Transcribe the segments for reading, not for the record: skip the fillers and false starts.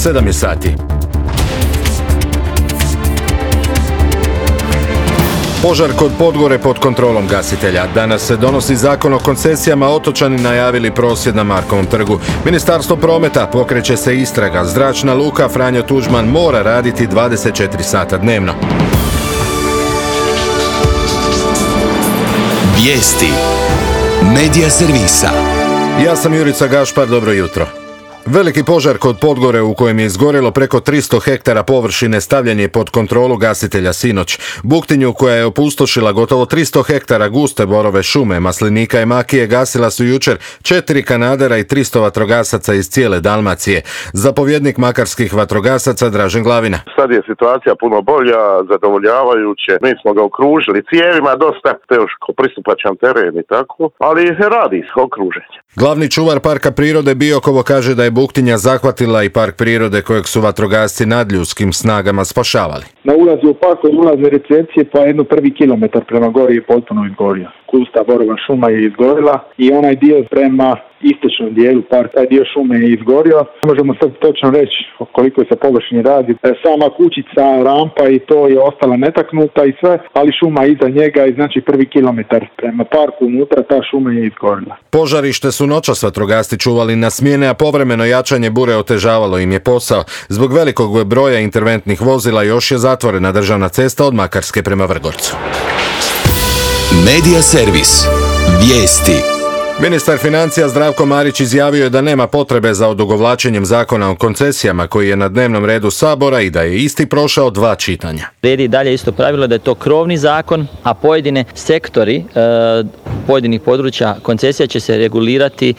7 je sati. Požar kod Podgore pod kontrolom gasitelja. Danas se donosi zakon o koncesijama, otočani najavili prosvjed na Markovom trgu. Ministarstvo prometa, pokreće se istraga. Zračna luka Franjo Tuđman mora raditi 24 sata dnevno. Vijesti Medija servisa. Ja sam Jurica Gašpar, dobro jutro. Veliki požar kod Podgore u kojem je izgorjelo preko 300 hektara površine stavljen je pod kontrolu gasitelja sinoć. Buktinju koja je opustošila gotovo 300 hektara guste borove šume, maslinika i makije gasila su jučer 4 kanadera i 300 vatrogasaca iz cijele Dalmacije. Zapovjednik makarskih vatrogasaca Dražen Glavina. Sad je situacija puno bolja, zadovoljavajuće. Mi smo ga okružili cijevima, dosta teško pristupačan teren i tako, ali radi se okruženje. Glavni čuvar Parka prirode Biokovo kaže da je buktinja zahvatila i park prirode kojeg su vatrogasci nadljudskim snagama spašavali. Na ulazu u park od ulazne recepcije pa jedno prvi kilometar prema gori je potpuno izgorio. Gusta borova šuma je izgorila i onaj dio prema istočnom dijelu parka, taj dio šume je izgorio. Ne možemo sad točno reći o koliko se površini radi. Sama kućica, rampa i to je ostala netaknuta i sve, ali šuma iza njega i znači prvi kilometar prema parku unutra ta šuma je izgorila. Požarište su noćas vatrogasci čuvali na smjene, a povremeno jačanje bure otežavalo im je posao. Zbog velikog broja interventnih vozila još je zatvorena državna cesta od Makarske prema Vrgorcu. Medija servis. Vijesti. Ministar financija Zdravko Marić izjavio je da nema potrebe za odugovlačenjem zakona o koncesijama koji je na dnevnom redu Sabora i da je isti prošao 2 čitanja. Vrijedi i dalje isto pravilo da je to krovni zakon, a pojedine sektori pojedinih područja koncesija će se regulirati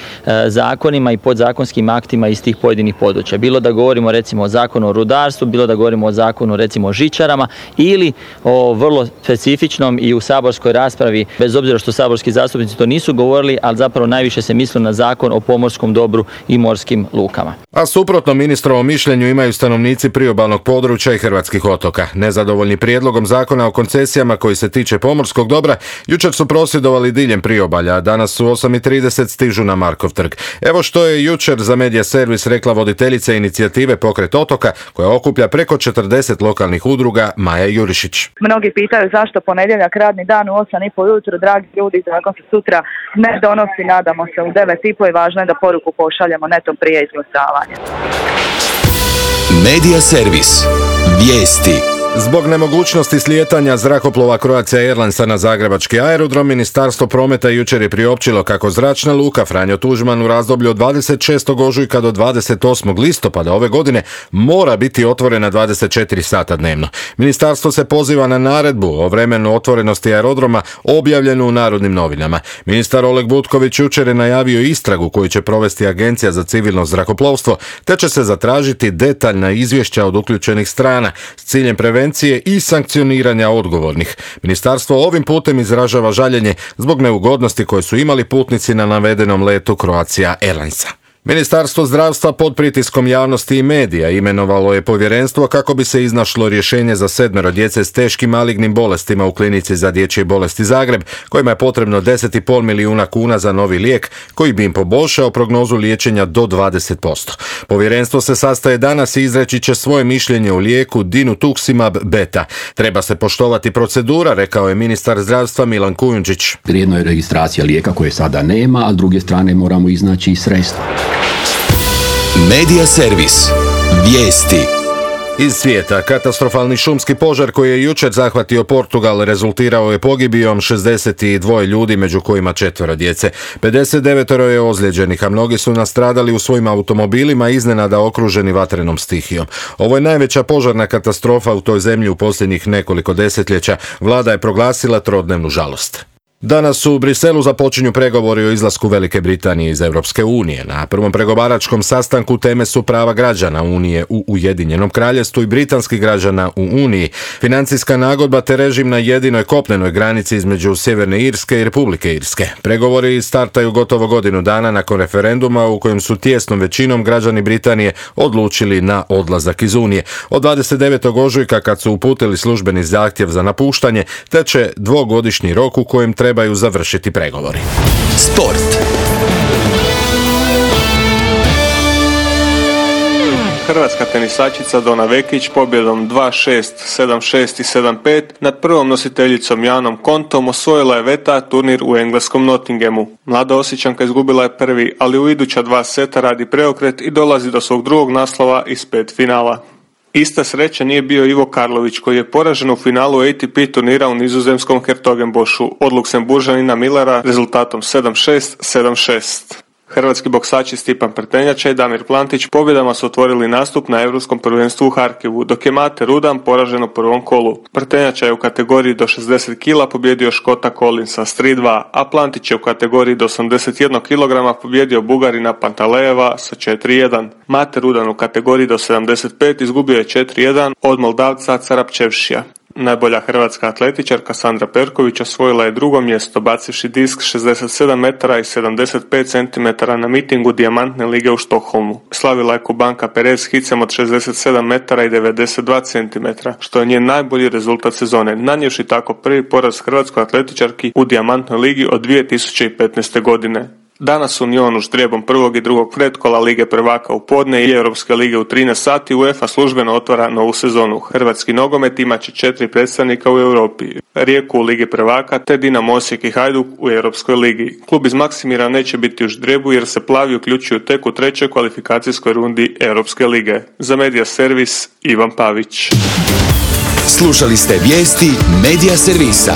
zakonima i podzakonskim aktima iz tih pojedinih područja. Bilo da govorimo recimo o zakonu o rudarstvu, bilo da govorimo o zakonu recimo o žičarama ili o vrlo specifičnom i u saborskoj raspravi, bez obzira što saborski zastupnici to nisu govorili, ali zapravo najviše se misli na zakon o pomorskom dobru i morskim lukama. A suprotno ministrovom mišljenju imaju stanovnici priobalnog područja i hrvatskih otoka. Nezadovoljni prijedlogom zakona o koncesijama koji se tiče pomorskog dobra, jučer su prosvjedovali diljem priobalja, a danas su 8:30 stižu na Markov trg. Evo što je jučer za Medija servis rekla voditeljica inicijative Pokret otoka, koja okuplja preko 40 lokalnih udruga, Maja Jurišić. Mnogi pitaju zašto ponedjeljak radni dan u 8:30 ujutro, dragi ljudi, zakon se sutra ne donosi, nadamo se u 9:30 i važno je da poruku pošaljemo netom prije izglasavanja. Medija servis. Vijesti. Zbog nemogućnosti slijetanja zrakoplova Croatia Airlinesa na zagrebački aerodrom, Ministarstvo prometa jučer je priopćilo kako zračna luka Franjo Tuđman u razdoblju od 26. ožujka do 28. listopada ove godine mora biti otvorena 24 sata dnevno. Ministarstvo se poziva na naredbu o vremenu otvorenosti aerodroma objavljenu u Narodnim novinama. Ministar Oleg Butković jučer je najavio istragu koju će provesti Agencija za civilno zrakoplovstvo, te će se zatražiti detaljna izvješća od uključenih strana s ciljem prevencije i sankcioniranja odgovornih. Ministarstvo ovim putem izražava žaljenje zbog neugodnosti koje su imali putnici na navedenom letu Croatia Airlinesa. Ministarstvo zdravstva pod pritiskom javnosti i medija imenovalo je povjerenstvo kako bi se iznašlo rješenje za 7 djece s teškim malignim bolestima u klinici za dječje bolesti Zagreb, kojima je potrebno 10,5 milijuna kuna za novi lijek koji bi im poboljšao prognozu liječenja do 20%. Povjerenstvo se sastaje danas i izreći će svoje mišljenje o lijeku Dinutuximab beta. Treba se poštovati procedura, rekao je ministar zdravstva Milan Kujundžić. Jedno je registracija lijeka koje sada nema, a s druge strane moramo iznaći sredstva. Medija servis. Vijesti. Iz svijeta, katastrofalni šumski požar koji je jučer zahvatio Portugal rezultirao je pogibijom 62 ljudi, među kojima 4 djece. 59 je ozlijeđenih, a mnogi su nastradali u svojim automobilima iznenada okruženi vatrenom stihijom. Ovo je najveća požarna katastrofa u toj zemlji u posljednjih nekoliko desetljeća. Vlada je proglasila trodnevnu žalost. Danas u Briselu započinju pregovori o izlasku Velike Britanije iz Europske unije. Na prvom pregovaračkom sastanku teme su prava građana Unije u Ujedinjenom Kraljevstvu i britanskih građana u Uniji, financijska nagodba te režim na jedinoj kopnenoj granici između Sjeverne Irske i Republike Irske. Pregovori startaju gotovo godinu dana nakon referenduma u kojem su tijesnom većinom građani Britanije odlučili na odlazak iz Unije. Od 29. ožujka kad su uputili službeni zahtjev za napuštanje, teče dvogodišnji rok u kojem trebaju završiti pregovori. Sport. Hrvatska tenisačica Dona Vekić pobjedom 2-6, 7-6 i 7-5 nad prvom nositeljicom Janom Kontom osvojila je VTA turnir u engleskom Nottinghamu. Mlada Osječanka izgubila je prvi, ali u iduća 2 seta radi preokret i dolazi do svog drugog naslova iz 5 finala. Ista sreća nije bio Ivo Karlović, koji je poražen u finalu ATP turnira u nizozemskom Hertogenbošu od Luksemburžanina Millera rezultatom 7-6, 7-6. Hrvatski boksači Stipan Prtenjača i Damir Plantić pobjedama su otvorili nastup na Europskom prvenstvu u Harkivu, dok je Mate Rudan poražen u prvom kolu. Prtenjača je u kategoriji do 60 kg pobjedio Škota Collinsa s 3-2, a Plantić je u kategoriji do 81 kg pobjedio Bugarina Pantalejeva sa 4-1. Mate Rudan u kategoriji do 75 izgubio je 4-1 od Moldavca Carapčevšija. Najbolja hrvatska atletičarka Sandra Perković osvojila je drugo mjesto bacivši disk 67 metara i 75 cm na mitingu Dijamantne lige u Štokholmu. Slavila je Kubanka Perez hicem od 67 metara i 92 cm, što je njen najbolji rezultat sezone, nanijevši tako prvi poraz hrvatskoj atletičarki u Dijamantnoj ligi od 2015. godine. Danas u Njonu ždrijebom prvog i drugog pretkola Lige prvaka u podne i Europske lige u 13 sati UEFA službeno otvara novu sezonu. Hrvatski nogomet imat će 4 predstavnika u Europi, Rijeku u Ligi prvaka te Dinamo Osijek i Hajduk u Europskoj ligi. Klub iz Maksimira neće biti u ždrijebu jer se plavi uključuju tek u 3. kvalifikacijskoj rundi Europske lige. Za Medija Servis Ivan Pavić. Slušali ste vijesti Medija Servisa.